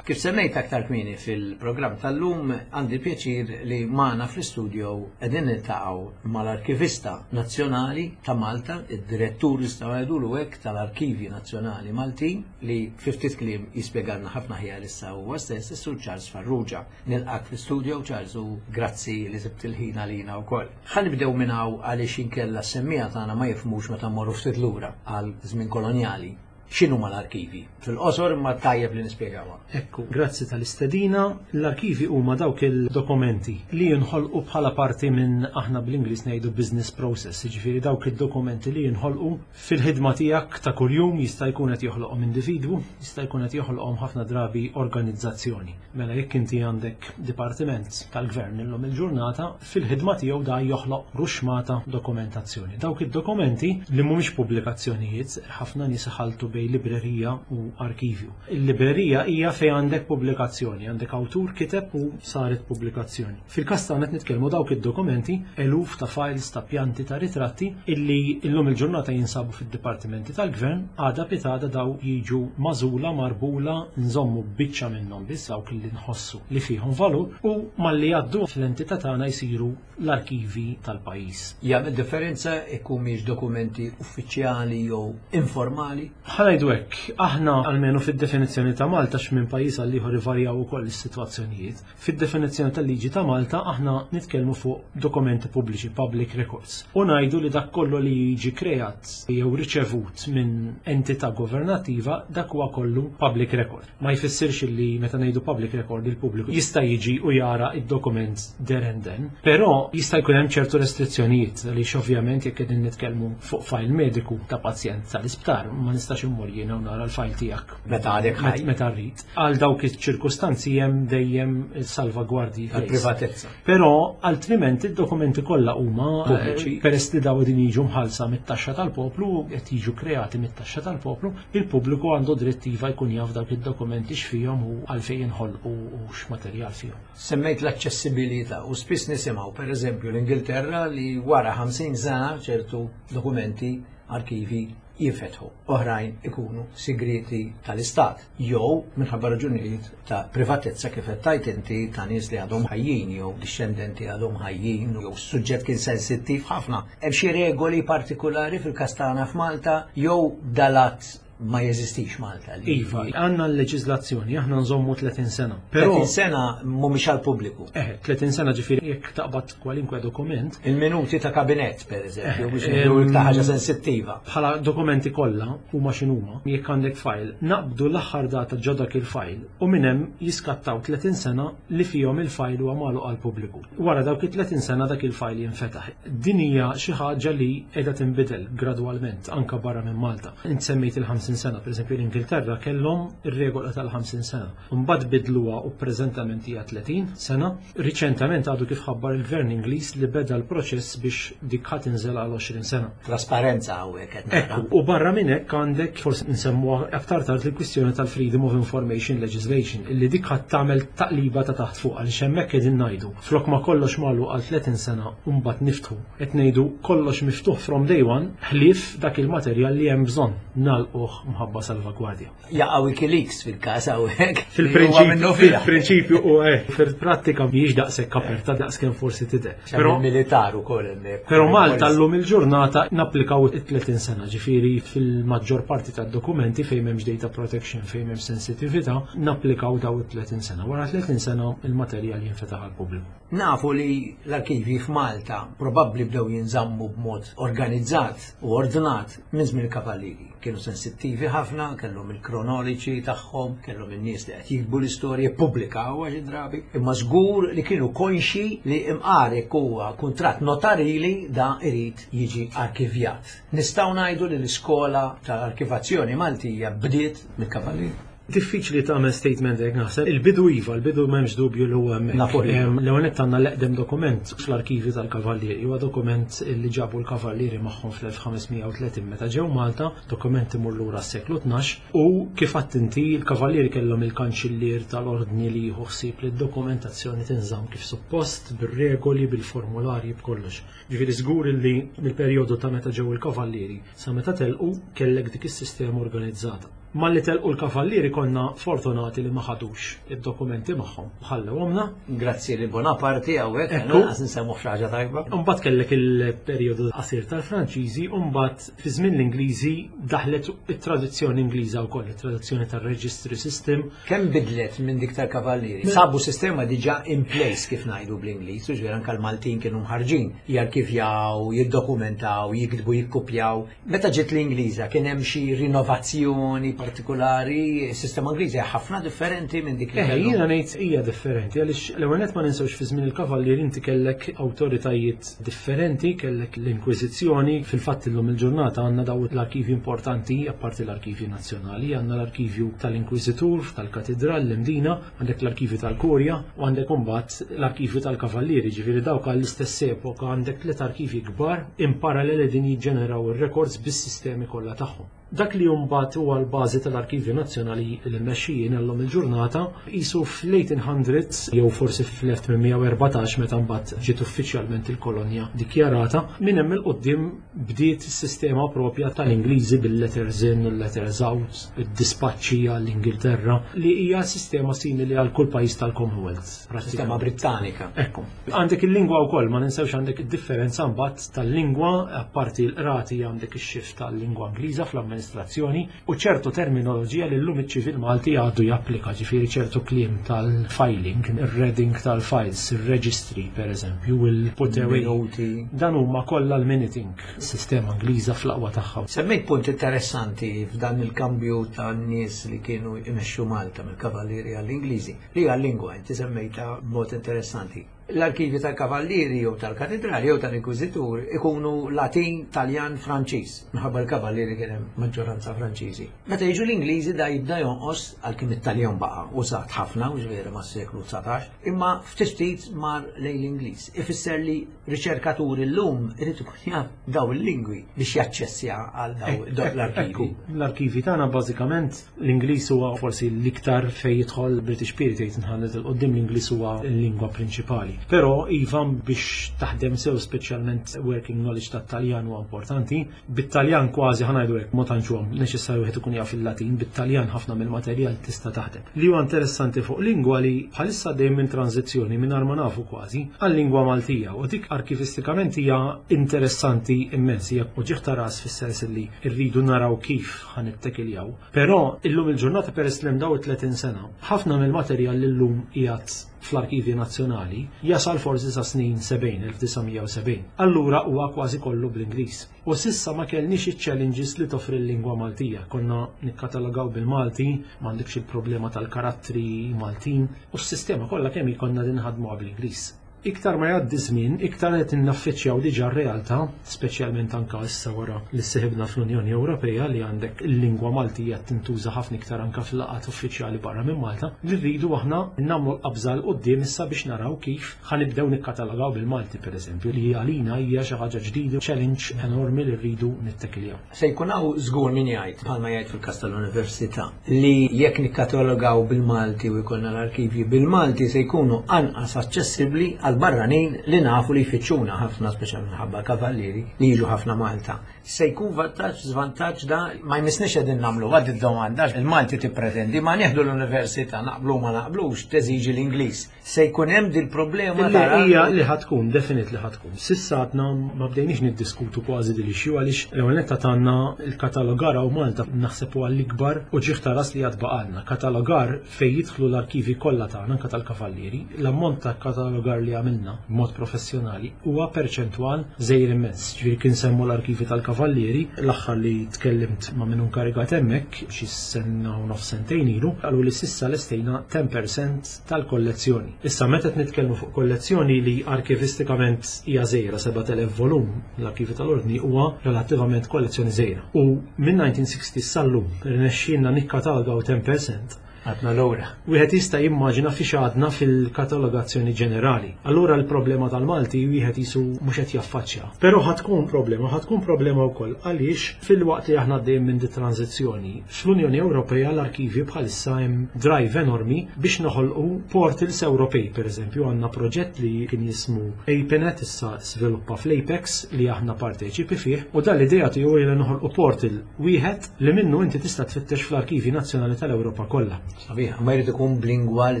Kif semmejt aktar kmieni fil-programm tal-lum, għandi pjaċir li magħna fl-istudio qegħdin niltaqgħu mal-Arkivista Nazzjonali ta' Malta, id-direttur nistgħu ngħidulu hekk tal-Arkivi Nazzjonali Maltin, li fi ftit kliem jispjegalna ħafna aħjar issa huwa stess, is-Sur Charles Farrugia. Nilqak fl-istudio Charles u grazzi li sibt il-ħin għalina wkoll. Ħa nibdew minn hawn għaliex inkella s-semmiegħa tagħna ma jifhmux meta mmorru ftit lura għal żmien kolonjali. X'inhuma l-arkivi? Fil-qosor imma tajjeb li nispjegawha. Ekku, grazzi tal-istedina. L-arkivi huma dawk il-dokumenti li jinħolqu bħala parti minn aħna bl-Ingliż ngħidu business process, jiġifieri dawk id-dokumenti li jinħolqu fil-ħidma tiegħek ta' kuljum jista' jkun qed joħloqhom individwu, jista' jkun qed joħloqhom ħafna drabi organizzazzjoni. Mela jekk inti għandek dipartiment tal-gvern illum il-ġurnata, fil-ħidma tiegħu da joħloq ruxmata dokumentazzjoni. Dawk id-dokumenti li mhumiex pubblikazzjonijiet, ħafna nies iħalltu bejn librerija u arkivju. Il-librerija hija fejn għandek pubblikazzjoni, għandek awtur kiteb u saret pubblikazzjoni. Fil-każ tagħna qed nitkellmu dawk id-dokumenti, eluf ta' files, ta' pjanti, ta' ritratti illi illum il-ġurnata jinsabu fid-dipartimenti tal-gvern, għada pitgħada daw jiġu magħżula, marbula, nżommu biċċa minnhom biss dawk li nħossu li fihom valur u malli jgħaddu fl-entità tagħna jsiru l-arkivi tal-pajjiż. Jagħmel differenza jekk mhix dokumenti uffiċjali jew informali? Ħa ngħidu hekk, aħna almenu fid-definizzjoni ta' Malta x'minn pajjiż għal ieħor ivarjaw ukoll is-sitwazzjonijiet. Fid-definizzjoni tal-liġi ta' Malta aħna nitkellmu fuq dokumenti pubbliċi, public records. U ngħidu li dak kollu li jiġi kreat jew riċevut minn entità governattiva dak huwa kollu public record. Ma jfissirx li meta ngħidu public record il-pubbliku jista' jiġi u jara id-dokument there and then, però jista' jkun hemm ċertu restrizzjonijiet għaliex ovvjament jekk qegħdin nitkellmu fuq file mediku ta' pazjent tal-isptar ma nistax immur jiena u nara l-file tiegħek Meta għadek ħaj. Meta rrid. Għal dawk iċ-ċirkustanzi hemm dejjem salvagwardji Għal-privatezza. Però altrimenti id-dokumenti kollha huma Pubbliċi. eh, peress li daw din jiġu mħallsa mit-taxxa tal-poplu, qed jiġu kreati mit-taxxa tal-poplu, il-pubbliku għandu dritt iva jkun jaf dawk id-dokumenti x'fihom u għalfejn inħolqu u x'materjal fihom. Semmejt l-aċċessibilità u spiss nisimgħu pereżempju l-Ingilterra li wara ħamsin sena ċertu dokumenti arkivi jinfetħu. Oħrajn ikunu sigreti tal-istat jew minħabba raġunijiet ta' privatezza kif qed tgħid inti ta' nies li għadhom ħajjin jew dixxendenti għadhom ħajjin jew suġġett kien sensittiv ħafna. Hemm xi regoli partikolari fil-każ tagħna f'Malta jew dalat ma jeżistix Malta. li- Iva, għandna l-leġiżlazzjoni, aħna nżommu tletin sena. Però tletin sena mhumiex għall-pubbliku. Eh, tletin sena ġifieri jekk taqbad kwalinkwe dokument. Il-minuti ta' kabinett, per eżempju, biex Eh, ngħidu em, iktar ħaġa sensittiva. Bħala dokumenti kollha huma x'inhuma, jekk għandek file, naqbdu l-aħħar data ġo dak il-file u minn hemm jiskattaw tletin sena li fihom il-file huwa magħluq għall-pubbliku. Wara dawk it-tletin sena dak il-file jinfetaħ. Din hija xi ħaġa li qiegħda tinbidel gradwalment anke barra minn Malta. Int semmejt il-ħamsin sena, pereżempju l-Ingilterra kellhom ir-regola tal-ħamsin sena. Mbagħad bidluha u preżentament hija tletin sena. Riċentament għadu kif ħabbar il-Gvern Ingliż li beda l-proċess biex dik ħa tinżel għal għoxrin sena. Trasparenza hawnhekk qed nara. Ekku, u barra minn hekk għandek forsi nsemmuha aktar tard il-kwistjoni tal-Freedom of Information Legislation illi dik ħadd tagħmel taqliba ta' taħt fuq għaliex hemmhekk qegħdin ngħidu flok ma kollox magħluq għal tletin sena u mbagħad niftħu qed ngħidu kollox miftuħ from day one ħlief dak il-materjal li hemm bżonn nagħlquh mħabba salvagwardja. Jaqa' WikiLeaks fil-każ hawnhekk. Fil-prinċipju, fil-prinċipju u eh, fil-prattika mhijiex daqshekk aperta daqskemm forsi tidher. Però militar ukoll hemmhekk. Però Malta llum il-ġurnata napplikaw it-tletin sena, ġifieri fil-maġġor parti tad-dokumenti fejn m'hemmx data protection, fejn m'hemmx sensitività, napplikaw daw it-tletin sena. Wara tletin sena il-materjal jinfetaħ għall-pubbliku. Nafu li l-arkivi f'Malta probabbli bdew jinżammu b'mod organizzat u ordnat minn żmien il-Kavallieri. Kienu sensittivi Attivi ħafna, kellhom il-kronoliċi tagħhom, kellhom in-nies li qed jiktbu l-istorja, ppubblikaw xi drabi, imma żgur li kienu konxi li imqar jekk huwa kuntratt notarili da irid jiġi arkivjat. Nistgħu ngħidu li l-iskola tal-arkivazzjoni Maltija bdiet mill-Kavallieri. Diffiċli tagħmel statement hekk naħseb. Il-bidu iva, il-bidu m'hemmx dubju li huwa hemmhekk. Nafu li. Em, L-ewwel nett għandna l-eqdem dokument fl-arkivi tal-Kavallieri. Huwa dokument li ġabu l-Kavallieri magħhom fl-elf ħames mija u tletin meta ġew Malta, dokument imur lura s-seklu tnax, u kif għedt inti, il-Kavallieri kellhom il-kanċillier tal-ordni li jieħu ħsieb li d-dokumentazzjoni tinżamm kif suppost, bir-regoli, bil-formularji, b'kollox. Ġifieri żgur li mill-perjodu ta' meta ġew il-Kavallieri sa meta telqu kellek dik is-sistema organizzata. Malli telqu l-Kavallieri konna fortunati li ma ħadux id-dokumenti magħhom. Ħallewhomna. Grazzi li Bonaparte hawnhekk, Ekku. għas nsemmu xi ħaġa tajba. Mbagħad kellek il-perjodu qasir tal-Franċiżi, u mbagħad fi żmien l-Ingliżi daħlet it-tradizzjoni Ingliża wkoll, it-tradizzjoni tar-registry system. Kemm bidlet minn dik tal-Kavallieri? Sabu sistema diġà in place, kif ngħidu bl-Ingliż, u ġifieri anke l-Maltin kienu mħarġin jarkivjaw, jiddokumentaw, jiktbu, jikkupjaw. Meta ġiet l-Ingliża kien hemm xi rinnovazzjoni partikolari, sistema Ingliża hija ħafna differenti minn dik li Eh, kellhom. jiena ngħid hija differenti għaliex l-ewwel nett ma ninsewx fi żmien il-Kavallieri inti kellek awtoritajiet differenti, kellek l-Inkwiżizzjoni, fil-fatt illum il-ġurnata għandna daw l-arkivi importanti, apparti l-arkivi nazzjonali, għandna l-arkivju tal-Inkwiżitur, tal-Katedral, l-Imdina, għandek l-arkivi tal-Kurja u għandek imbagħad l-arkivju tal-Kavallieri, ġifieri dawk għall-istess epoka għandek tliet arkivi kbar in parallel din jiġġeneraw ir-records bis-sistemi kollha tagħhom. Dak li mbagħad huwa l-bażi tal-Arkivju Nazzjonali li mmexxijin illum il-ġurnata qisu fl-eighteen hundreds jew forsi fl-elf tmien mija u erbatax meta mbagħad ġiet uffiċjalment il-kolonja dikjarata, minn hemm 'il quddiem bdiet is-sistema propja tal-Ingliżi bil-letters in u letters out, id-dispaċċi għall-Ingilterra, li hija sistema simili għal kull pajjiż tal-Commonwealth. Sistema Brittanika. Ekku. Għandek il-lingwa wkoll, ma ninsewx għandek id-differenza mbagħad tal-lingwa, apparti l-qrati għandek ix-shift tal-lingwa Ingliża fl-amministrazzjoni u ċertu terminoloġija li llum iċ-ċivil Malti għadu japplika, ġifieri ċertu kliem tal-filing, ir-reading tal-files, ir-registry per eżempju, il-put away. Minuti. Dan huma kollha l-minuting, sistema Ingliża fl-aqwa tagħha. Semmejt punt interessanti f'dan il-kambju ta' nies li kienu imexxu Malta mill-Kavallieri għall-Ingliżi, li għal-lingwa inti semmejta b'mod interessanti. L-arkivi tal-Kavallieri jew tal-Katedrali jew tal-Inkwiżitur ikunu Latin, Taljan, Franċiż. Minħabba l-Kavallieri kien hemm maġġoranza Franċiżi. Meta jiġu l-Ingliżi da jibda jonqos, għalkemm it-Taljan baqa' użat ħafna u ġifieri mas-seklu dsatax, imma ftit ftit mar lejn l-Ingliż. Ifisser li riċerkaturi llum irid ikun jaf daw il-lingwi biex jaċċessja għal daw daw l-arkivi. Ekku, l-arkivi tagħna bażikament l-Ingliż huwa forsi l-iktar fejn jidħol British Period eighteen hundred 'il quddiem, l-Ingliż huwa l-lingwa prinċipali. Però iva, biex taħdem sew, speċjalment working knowledge tat-Taljan huwa importanti. Bit-Taljan kważi, ħa ngħidu hekk, ma tantx huwa neċessarju wieħed ikun jaf il-Latin, bit-Taljan ħafna mill-materjal tista' taħdem. Li huwa interessanti fuq lingwa li bħalissa dejjem minn tranzizzjoni mingħajr ma nafu kważi għal-lingwa Maltija, u dik arkivistikament hija interessanti immens, hija uġigħ ta' ras fis-sens li rridu naraw kif ħa nittekiljaw. Però illum il-ġurnata, peress li hemm daw it-tletin sena, ħafna mill-materjal li llum qiegħed fl-Arkivi Nazzjonali jasal forsi sa snin sebgħin, elf disa' mija u sebgħin. Allura huwa kważi kollu bl-Ingliż. U s'issa ma kellniex iċ-challenges li toffri l-lingwa Maltija. Konna nikkatalogaw bil-Malti, m'għandekx il-problema tal-karattri Maltin, u s-sistema kollha kemm konna nħadmuha bl-Ingliż. Iktar ma jgħaddi żmien, iktar qed innaffiċċjaw diġà r-realtà, speċjalment anka issa wara li sseħibna fl-Unjoni Ewropea, li għandek il-lingwa Maltija tintuża ħafna iktar anka fil-laqgħat uffiċjali barra minn Malta, li rridu aħna nagħmlu l-qabża 'l quddiem issa biex naraw kif ħa nibdew nikkatalogaw bil-Malti pereżempju, li għalina hija xi ħaġa ġdida, challenge enormi li rridu nittekiljaw. Se jkun hawn żgur min jgħid, bħalma jgħid fil-każ tal-Università, li jekk nikkatalogaw bil-Malti u jkollna l-arkivji bil-Malti se jkunu anqas aċċessibbli għal barranin li nafu li jfittxuna ħafna, speċjalment minħabba kavallieri li jiġu ħafna Malta. Se jkun vantaġġ, żvantaġġ da ma jmissniex qegħdin nagħmlu għad id-domanda, il-Malti tippretendi ma nieħdu l-università, naqblu ma naqblux, teżiġi l-Ingliż. Se jkun hemm dil problema Li tara hija li ħa tkun, definitely ħa tkun. S'issa għadna ma bdejniex niddiskutu kważi dil issue għaliex l-ewwel netta għandna il-katalogar u Malta naħseb huwa l-ikbar uġigħ ta' ras li għad baqalna. Katalogar fejn jidħlu l-arkivi kollha tagħna, anke tal-Kavallieri, l-ammont ta' katalogar li għamilna b'mod professjonali huwa perċentwal żgħir immens. Ġifieri kien semmu l-arkivi tal-Kavallieri, l-aħħar li tkellimt ma' min inkarigat hemmhekk xi sena u nofs sentejn ilu, qalu li s'issa lestejna ten percent tal-kollezzjoni. Issa meta qed nitkellmu fuq kollezzjoni li arkivistikament hija żgħira, sebat elef volum, l-arkivi tal-Ordni huwa relattivament kollezzjoni żgħira. U minn nineteen sixty sal-lum rnexxielna nikkatalgaw ten percent. Għadna lura. Wieħed jista' jimmaġina fiex għadna fil-katalogazzjoni ġenerali. Allura l-problema tal-Malti wieħed jisu mhux qed jaffaċċja. Però ħa tkun problema, ħa tkun problema wkoll għaliex fil-waqt li aħna għaddejjin minn di tranzizzjoni, fl-Unjoni Ewropea l-arkivi bħalissa hemm drive enormi biex noħolqu portals Ewropej. Per eżempju, għandna proġett li kien jismu APENET, issa sviluppa fl-Apex, li aħna parteċipi fih, u dan l-idea tiegħu li noħolqu portal wieħed li minnu inti tista' tfittex fl-arkivi nazzjonali tal-Ewropa kollha. Sabiħ, ma jrid ikun b'lingwa li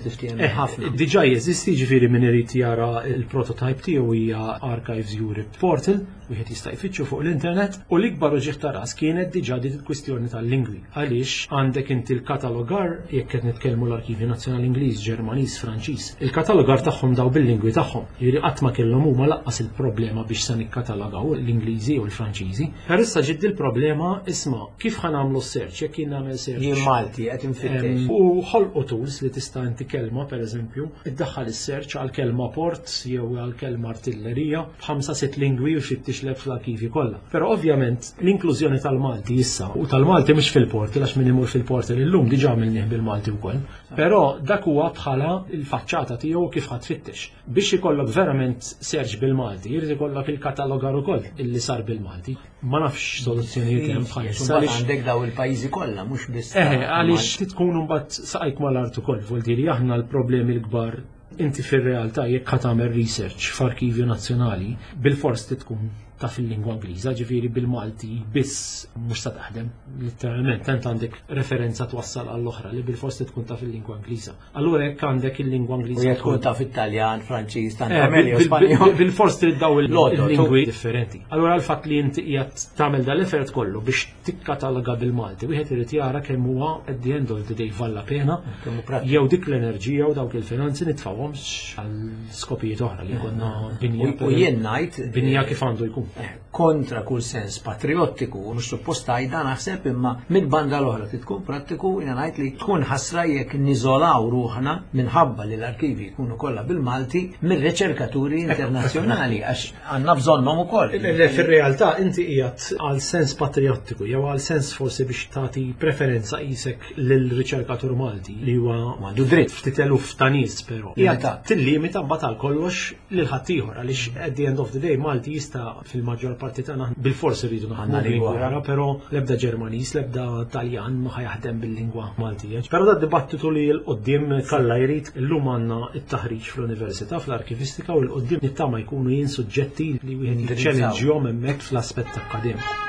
tiftiehem Eh, ħafna. Diġà jeżisti, ġifieri min irid jara il-prototype tiegħu hija Archives Europe Portal, wieħed jista' jfittxu fuq l-internet, u l-ikbar uġigħ ta' ras kienet diġà dik il-kwistjoni tal-lingwi. Għaliex għandek inti l-katalogar, jekk qed nitkellmu l-Arkivi Nazzjonali Ingliż, Ġermaniż, Franċiż, il-katalogar tagħhom daw bil-lingwi tagħhom. Jiġifieri qatt ma kellhom huma lanqas il-problema biex se nikkatalogaw l-Ingliżi u l-Franċiżi. Però issa ġiet il-problema, isma', kif ħa nagħmlu search jekk jien nagħmel search? Jien Malti qed infittex. Em, U ħolqu tools li tista' inti kelma, per eżempju, iddaħħal is-search għal kelma port jew għal kelma artillerija b'ħamsa sitt lingwi u jfittixlek fl-arkivi kollha. Però ovvjament l-inklużjoni tal-Malti issa, u tal-Malti mhux fil-portal, għax min imur fil-portal illum diġà għamilnieh bil-Malti wkoll. Però dak huwa bħala il-faċċata tiegħu kif ħa tfittex. Biex ikollok verament search bil-Malti, jrid ikollok il-katalogar ukoll illi sar bil-Malti. Ma nafx soluzzjonijiet hemm bħalissa. Imbagħad għaliex- għandek daw il-pajjiżi kollha, mhux biss. Eħe, għaliex tkun mbagħad saqajk mal-art ukoll, vuol aħna l-problemi l-kbar, inti fir-realtà jekk ħa tagħmel research f'arkivju nazzjonali, bil-fors tkun taf il-lingwa Ingliża, ġifieri bil-Malti biss mhux sa taħdem, letteralment, tant għandek referenza twassal għall-oħra li bil-fors tkun taf il-lingwa Ingliża. Allura jekk għandek il-lingwa U Ingliża jekk tkun taf Italjan, Franċiż, tant Eh, meglio bil- bil- Spanjol. Bil-fors trid daw L-għodod. il-lingwi differenti. Allura l-fatt li inti qiegħed tagħmel dal-effort kollu biex tikkataloga bil-Malti, wieħed irid jara kemm huwa at the end of the day vale la pena Kemm hu prattiku. jew dik l-enerġija u dawk il-finanzi nitfawhomx għal skopijiet oħra li konna binja. U jien ngħid binja kif għandu jkun. Kontra kull sens patriottiku, u mhux suppost għajda naħseb, imma minn banda l-oħra trid tkun prattiku, jiena ngħid li tkun ħasra jekk niżolaw ruħna minħabba li l-arkivi jkunu kollha bil-Malti mir-riċerkaturi internazzjonali, għax għandna bżonnhom ukoll. Le, fil-realtà inti qiegħed għal sens patriottiku jew għal sens forsi biex tagħti preferenza qisek lil-riċerkatur Malti li huwa Għandu dritt. Ftit eluf ta' nies, però. Qiegħed Limitat. tillimita mbagħad għal kollox lil ħaddieħor, għaliex at the end of the day Malti jista' fil-maġġor parti tagħna bil-fors irridu naħdmu Għandna lingwa bil-lingwa oħra, però l-ebda Ġermaniż, l-ebda Taljan ma ħa jaħdem bil-lingwa Maltija. Però da dibattitu li 'l quddiem kalla jrid, illum għandna it-taħriġ fl-università fl-arkivistika, u 'l quddiem nittama jkunu jien suġġetti li wieħed Indirizzaw. jiċċellenġjhom hemmhekk fl-aspett akkademiku.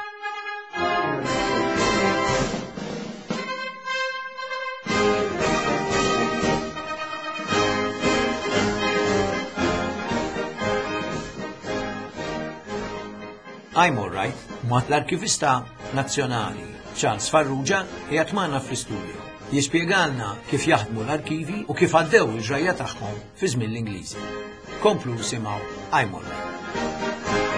I'm Alright ma l-Arkivista Nazzjonali Charles Farrugia qiegħed magħna fl-istudio. Jispjegalna kif jaħdmu l-arkivi u kif għaddew il-ġrajja tagħhom fi żmien l-Ingliżi. Komplu simgħu I'm Alright.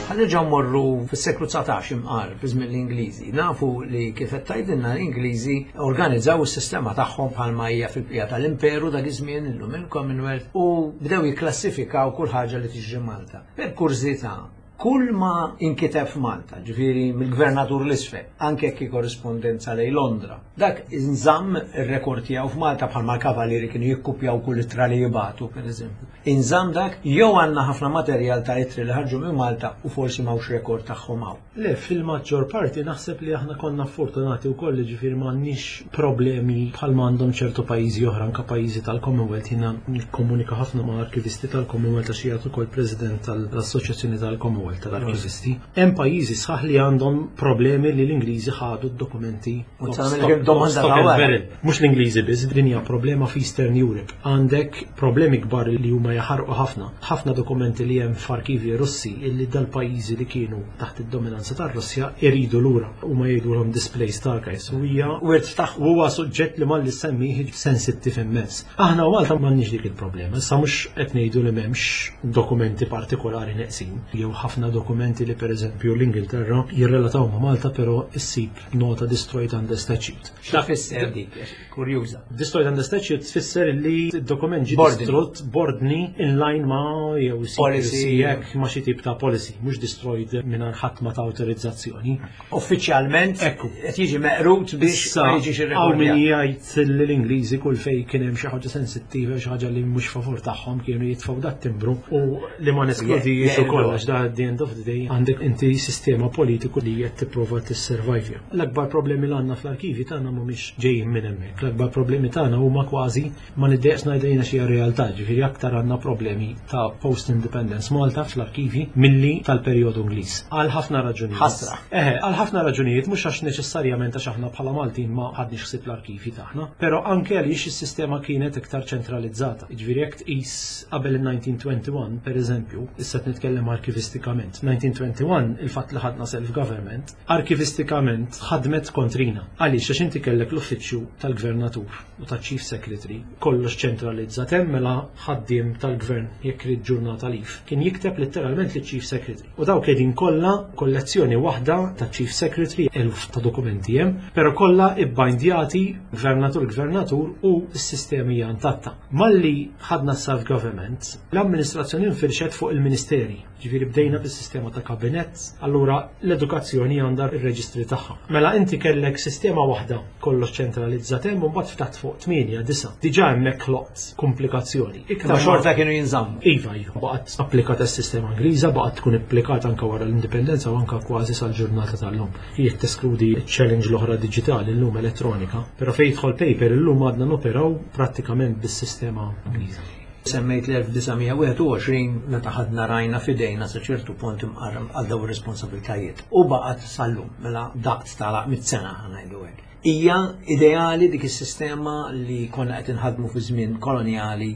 Ħa nerġgħu mmorru fis-seklu dsatax imqar fi żmien l-Ingliżi. Nafu li kif qed tgħidilna l-Ingliżi organizzaw is-sistema tagħhom bħalma hija fil-bqija tal-Imperu dak iż-żmien, illum il-Commonwealth, u bdew jikklassifikaw kull ħaġa li tiġri Malta. Per kurżità, kull ma inkiteb f'Malta, ġifieri mill-gvernatur l-isfel, anke jekk korrispondenza lejn Londra, dak inżamm ir-rekord tiegħu f'Malta, bħalma l-kavalieri kienu jikkupjaw kull ittra li jibatu, pereżempju. Inżamm dak jew għandna ħafna materjal ta' ittri li ħarġu minn Malta u forsi m'hawnx rekord tagħhom hawn? Le, fil-maġġor parti naħseb li aħna konna fortunati u koll, ġifieri m'għandniex problemi bħal għandhom ċertu pajjiżi oħra, anka pajjiżi tal-Commonwealth. Jiena nikkomunika ħafna ma' arkivisti tal-Commonwealth għax qiegħed ukoll president tal-Assoċjazzjoni tal-Commonwealth. ir-rwol tal-arkivisti. Hemm pajjiżi sħaħ li għandhom problemi li l-Ingliżi ħadu d-dokumenti U tagħmel domanda ta' wara. Mhux l-Ingliżi biss, din hija problema f'Eastern Europe. Għandek problemi kbar li huma jaħarqu ħafna. Ħafna dokumenti li hemm f'arkivi Russi illi dal-pajjiżi li kienu taħt id-dominanza tar-Russja iridu lura u ma jgħidulhom displaced archives. U hija Wirt tagħhom. huwa suġġett li malli semmih sensittiv immens. Aħna u Malta m'għandniex dik il-problema. Issa mhux qed ngħidu li m'hemmx dokumenti partikolari neqsin. Jew ħafna dokumenti li pereżempju l-Ingilterra jirrelataw ma' Malta però issib nota destroyed under statute. X'tfisser dik? Kurjuża. Destroyed under statute tfisser li d-dokument ġi B'ordni. distrott b'ordni in line ma' jew Policy. secrecy jekk ma' xi tip ta' policy, mhux destroyed mingħajr ħadd ma ta' awtorizzazzjoni. Uffiċjalment Ekku. qed jiġi meqrut biex Issa, ma jiġix hawn min irrekordjat. jgħid li l-Ingliżi kull fej kien hemm xi ħaġa sensittiva, xi ħaġa li mhux favur tagħhom kienu jitfgħu dat timbru u li ma neskludijiex Je- ukoll għax da at the end of the day għandek inti sistema politiku li qed tipprova tissurvivja. L-akbar problemi li għandna fl-arkivi tagħna mhumiex ġejjin minn hemmhekk. L-akbar problemi tagħna huma kważi ma niddejqx ngħidejna xi realtà, ġifieri aktar għandna problemi ta' post-independence Malta fl-arkivi milli tal-perjodu Ingliż. Għal ħafna raġunijiet. Ħasra. Eħe, għal ħafna raġunijiet, mhux għax neċessarjament għax aħna bħala Maltin ma ħadniex ħsieb l-arkivi tagħna, però anke għaliex is-sistema kienet iktar ċentralizzata. Jiġifieri jekk tqis qabel il-elf disa' mija wieħed u għoxrin per eżempju, issa qed nitkellem arkivistikament. elf disa' mija wieħed u għoxrin il-fatt li ħadna self-government, arkivistikament ħadmet kontrina. Għaliex għax inti kellek l-uffiċċju tal-gvernatur u tal-chief secretary, kollox ċentralizzat hemm mela ħaddiem tal-gvern jekk irid ġurnata leave. Kien jikteb letteralment li chief secretary. U dawk qegħdin kollha kollezzjoni waħda ta' chief secretary, eluf ta' dokumenti hemm, però kollha ibbindjati gvernatur gvernatur u s-sistemi hija intatta. Malli ħadna self-government, l-amministrazzjoni infirxet fuq il-ministeri. Ġifieri bdejna bis-sistema ta' kabinett, allura l-edukazzjoni għandha ir-reġistri tagħha. Mela inti kellek sistema waħda kollox ċentralizzat hemm u mbagħad ftaħt fuq tmienja, disa'. Diġà hemmhekk ħloqt komplikazzjoni. Iktar Ma xorta kienu jinżammu. Iva, iva, baqgħet applikata s-sistema Ingliża, baqgħet tkun applikata anka wara l-indipendenza u anka kważi sal-ġurnata tal-lum. Jekk teskludi challenge l-oħra diġitali llum elettronika, però fejn jidħol paper illum għadna noperaw prattikament bis-sistema Ingliża. Semmejt l-elf disa' mija wieħed u għoxrin meta ħadna rajna fidejna sa ċertu punt imqarram għal daw ir-responsabiltajiet. U baqgħet sal-lum mela daqt tala mit-sena ħa ngħidu hekk. Hija ideali dik is-sistema li konna qed inħadmu fi żmien koloniali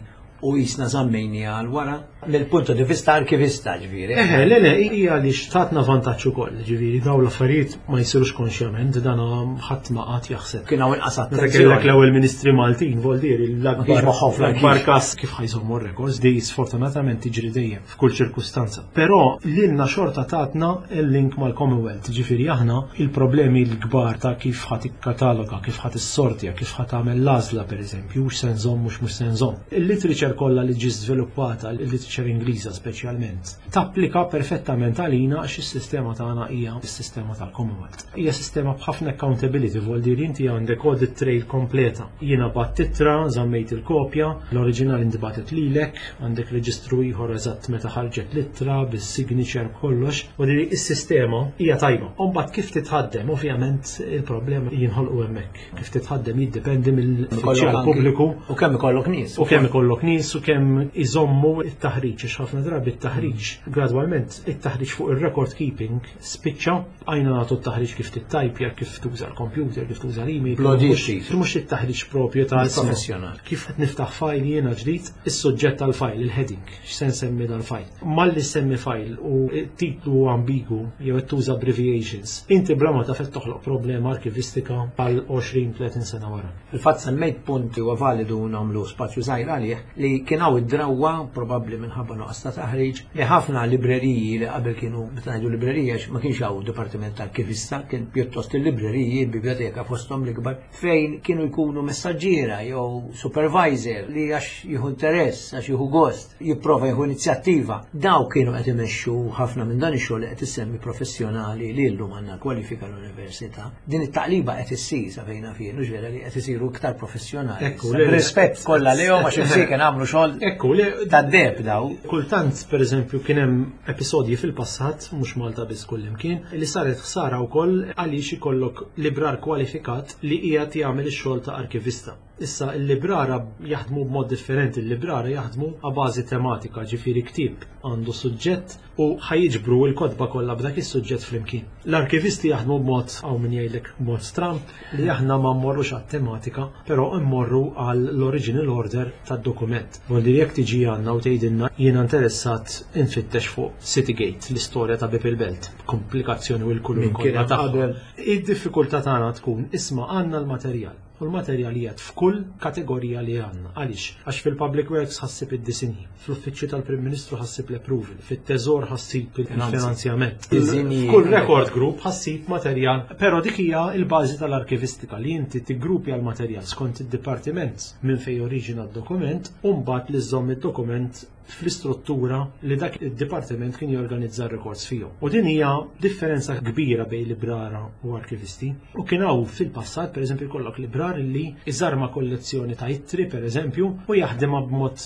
u jisna żammejni għal wara mill-punto di vista arkivista ġifieri. Eħe, le, le, hija li xtatna vantaġġ ukoll, ġifieri daw l-affarijiet ma jsirux konxjament, dan ħadd ma qatt jaħseb. Kien hawn inqas Meta kellek attenzjoni. l-ewwel ministri Maltin, voldieri Ma kienx l-akbar moħħhom fl-arkiv. l-akbar każ kif ħa jżommu r-records, di sfortunatament tiġri dejjem f'kull ċirkustanza. Però lilna xorta tatna il-link mal-Commonwealth, ġifieri aħna il-problemi l-kbar ta' kif ħa tikkataloga, kif ħa tissortja, kif ħa tagħmel l-għażla pereżempju, hux se nżomm mhux mhux se nżomm. Il-literature kollha li ġi żviluppata, il-literature Ingliża speċjalment, tapplika perfettament għalina għax is-sistema tagħna hija s-sistema tal-Commonwealth. Hija sistema b'ħafna accountability, vuol dire inti għandek audit trail kompleta. Jiena bgħatt ittra, żammejt il-kopja, l-oriġinal intbagħtet lilek, għandek reġistru ieħor eżatt meta ħarġet l-ittra, bis-signature kollox, u di is-sistema hija tajba. U mbagħad kif titħaddem, ovvjament il-problema jinħolqu hemmhekk. Kif titħaddem jiddependi mill-uffiċjal anki- pubbliku U kemm ikollok nies. u kemm ikollok nies u kemm iżommu it-taħriġ, għax ħafna drabi it-taħriġ gradwalment it-taħriġ fuq ir-record keeping spiċċa għajna nagħtu t-taħriġ kif tittajpja, kif tuża l-computer, kif tuża l-email. Blodi mhux- xif. Mhux it-taħriġ propju ta' Professjonali. Kif qed niftaħ file jiena ġdid, is-suġġett tal-file, il-heading, x'se nsemmi dal-file. Malli semmi file u titlu ambigu jew qed tuża abbreviations, inti bla ma taf qed toħloq problema arkivistika għal għoxrin tletin sena wara. Fil-fatt semmejt punti u validu nagħmlu spazju żgħir għalih li kien hawn id-drawwa probabbli minħabba nuqqas ta' taħriġ li ħafna libreriji li qabel kienu meta ngħidu librerija għax ma kienx hawn dipartiment tal-arkivista, kien pjuttost il-libreriji, il-biblioteka fosthom l-ikbar fejn kienu jkunu messaġġiera jew supervisor li għax jieħu interess, għax jieħu gost, jipprova jieħu inizjattiva. Daw kienu qed imexxu ħafna minn dan ix-xogħol li qed issemmi professjonali li llum għandna kwalifika l-università. Din it-taqliba qed issir sa fejna fien, mhux vera li qed isiru iktar professjonali. Ekku, Issa, le- Rispett kollha lihom għax imsieken għamlu xogħol Ekku, le, tad-deb daw. Kultant, per eżempju, kien hemm episodji fil-passat, mhux Malta biss kullimkien, li saret ħsara wkoll għaliex ikollok librar kwalifikat li qiegħed jagħmel ix-xogħol ta' arkivista. Issa il-librara jaħdmu b'mod differenti, il-librara jaħdmu a bażi tematika, ġifieri ktieb għandu suġġett u ħa jiġbru l-kotba kollha b'dak is-suġġett flimkien. L-arkivisti jaħdmu b'mod, hawn min jgħidlek mod stramp, li aħna ma mmorrux għat-tematika, però mmorru għall-original order tad-dokument. Vuol dire jekk tiġi għandna u tgħidilna jiena interessat infittex fuq Citygate, l-istorja ta' Bieb il-Belt, komplikazzjoni u l-kulur kollha tagħha. Id-diffikultà tagħna tkun isma' għandna l-materjal. U l-materjal qiegħed f'kull kategorija li għandna. Għaliex? Għax fil-Public Works ħa ssib id-disinji, fl-Uffiċċju tal-Prim Ministru ħa ssib l-approval, fit-Teżor ħa ssib il-finanzjament. F'kull record group ħa ssib materjal, però dik hija l-bażi tal-arkivistika li inti tiggrupja l-materjal skont id-dipartiment minn fejn oriġina d-dokument u mbagħad li żżomm id-dokument fl-istruttura li dak id-dipartiment kien jorganizza r-records fihom. U din hija differenza kbira bejn librara u arkivisti. U kien hawn fil-passat, pereżempju, jkollok librar li iżarma kollezzjoni ta' ittri, pereżempju, u jaħdimha b'mod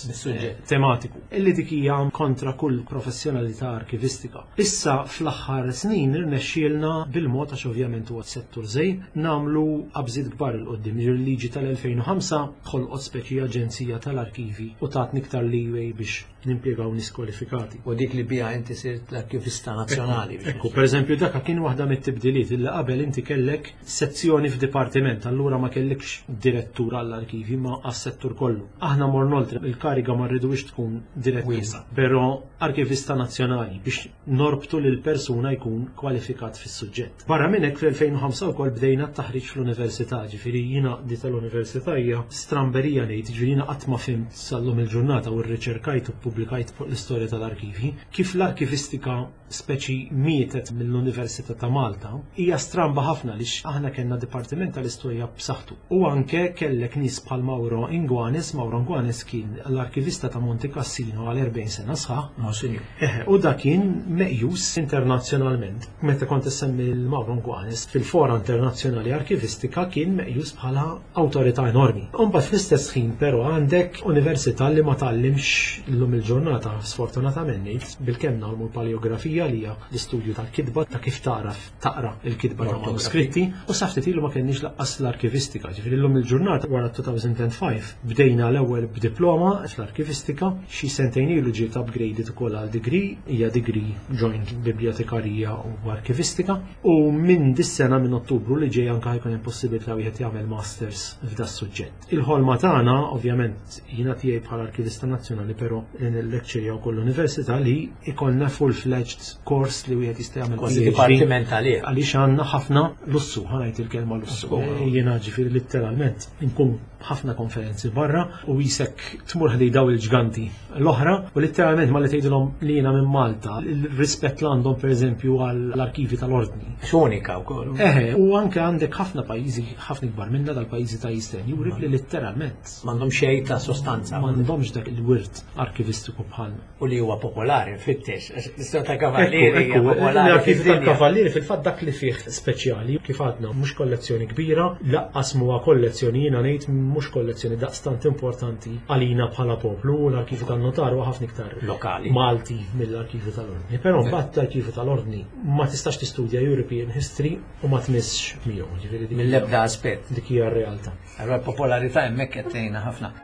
tematiku. Illi dik hija kontra kull professjonalità arkivistika. Issa fl-aħħar snin irnexxielna bil-mod, għax ovvjament huwa settur żgħir, nagħmlu qabżiet kbar 'il quddiem. Il-liġi tal-elfejn u ħamsa ħolqot speċi aġenzija tal-arkivi u tatni iktar leeway biex nimpjegaw nies kwalifikati. U dik li bija inti sirt l-arkivista nazzjonali. Ekku, per eżempju, daka kien waħda mit-tibdiliet illi qabel inti kellek sezzjoni f'dipartiment, allura ma kellekx direttur għall-arkivi ma għas-settur kollu. Aħna morna oltre, il-kariga ma rridux tkun direttur, però arkivista nazzjonali biex norbtu lil persuna jkun kwalifikat fis-suġġett. Barra minn hekk fl-elfejn u ħamsa wkoll bdejna t-taħriġ fl-università, ġifieri jiena di tal-università hija stramberija ngħid, ġifieri jiena qatt ma fimt sal-lum il-ġurnata u rriċerkajt u ppubblikajt fuq l-istorja tal-arkivi, kif l-arkivistika speċi mietet mill-Università ta' Malta, hija stramba ħafna lix aħna kellna dipartiment tal-istorja b'saħħtu. U anke kellek nies bħal Mauro Inguanes, Mauro Inguanes kien l-arkivista ta' Monte Cassino għal erbgħin sena sħaħ. Monsignor. Eħe, u da kien meqjus internazzjonalment. Meta kont issemmi l-Mauro Inguanes fil-fora internazzjonali arkivistika kien meqjus bħala awtorità enormi. U mbagħad fl-istess ħin però għandek università li ma tgħallimx illum il-ġurnata, sfortunatament ngħid, bilkemm nagħmlu l-paleografija li hija l-istudju tal-kitba ta' kif tagħraf taqra l-kitba ta' manuskritti, u sa ftit ilu ma kenniex laqqas l-arkivistika. Ġifieri llum il-ġurnata wara two thousand and five bdejna l-ewwel b'diploma fl-arkivistika, xi sentejn ilu ġiet upgraded ukoll għal degree, hija degree joint bibliotekarija u arkivistika, u minn dis-sena minn Ottubru li ġej anke ħajkun hemm possibilità wieħed jagħmel masters f'da suġġett. Il-ħolma tagħna ovvjament jiena tiegħi bħala arkivista nazzjonali, però li nillecturja wkoll l-università li ikollna full-fledged kors li wieħed jista' jagħmel Kważi P H D. dipartiment għalih. Għaliex għandna ħafna lussu, ħa ngħid il-kelma lussu. Lussu. Eh, jiena ġifieri letteralment inkun ħafna konferenzi barra u jisek tmur ħdej daw il-ġganti l-oħra u letteralment ma li tgħidilhom li jiena minn Malta, il-rispett li għandhom pereżempju għall-arkivi tal-ordni. Unika wkoll. Eħe, u anke għandek ħafna pajjiżi, ħafna ikbar minna dal-pajjiżi ta' Eastern Europe li letteralment m'għandhom xejn ta' sostanza. M'għandhomx dak il-wirt arkivistiku bħalna. U li huwa popolari, fittex, l-istorja ta' kavallieri Ekku, hija ekku, popolari l-arkivi fid-dinja. tal-kavallieri fil-fatt dak li fih speċjali, kif għadna, mhux kollezzjoni kbira, laqqas huwa kollezzjoni, jiena ngħid mhux kollezzjoni daqstant importanti għalina bħala poplu, u l-arkivi tan-notar huwa ħafna iktar lokali Malti mill-arkivi tal-ordni. Però mbagħad l-arkivi tal-ordni ma tistax tistudja European History u ma tmissx miegħu, ġifieri dik Mill-ebda aspett. Dik hija r-realtà. Allora l-popolarità hemmhekk qed tgħinna ħafna.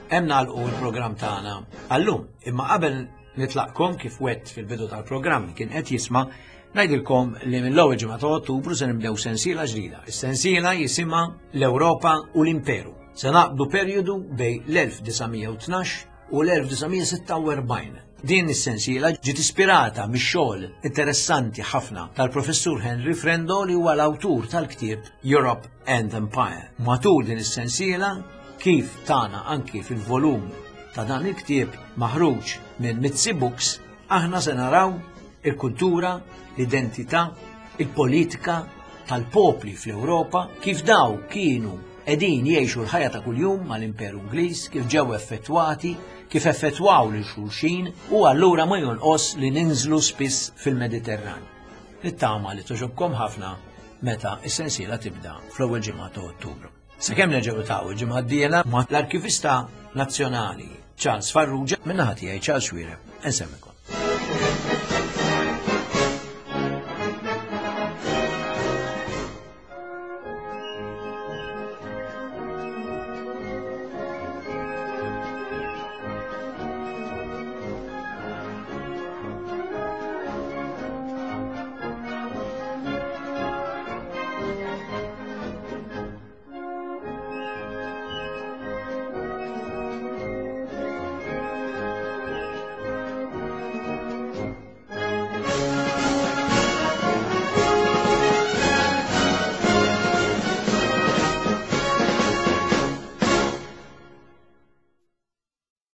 Hemm nagħlqu l-programm tagħna għallum, imma qabel nitlaqkom kif wett fil-bidu tal-programm kien qed jisma', ngħidilkom li mill-ewwel ġimgħa ta' Ottubru se nibdew sensiela ġdida. Is-sensiela jisimha l-Ewropa u l-Imperu. Se naqbdu perjodu bejn l-elf disa' mija u tnax u l-elf disa' mija sitta u erbgħin. Din is-sensiela ġiet ispirata mix-xogħol interessanti ħafna tal-Professur Henry Frendo, li huwa l-awtur tal-ktieb Europe and Empire. Matul din is-sensiela, kif tana anki fil-volum ta' dan il-ktieb maħruġ minn Mitzi Books, aħna se naraw il-kultura, l-identità, il-politika tal-popli fl-Ewropa, kif daw kienu qegħdin jgħixu l-ħajja ta' kuljum mal-Imperu Ingliż, kif ġew effettwati, kif effettwaw lil xulxin, u allura ma jonqos li ninżlu spiss fil-Mediterran. Nittama li togħġobkom ħafna meta is-sensiela tibda fl-ewwel ġimgħa ta' Ottubru. Sakemm nerġgħu niltaqgħu il-ġimgħa d-dieħla ma' l-Arkivista Nazzjonali Charles Farrugia, min-naħa tiegħi Charles Xuereb, insellmilkom.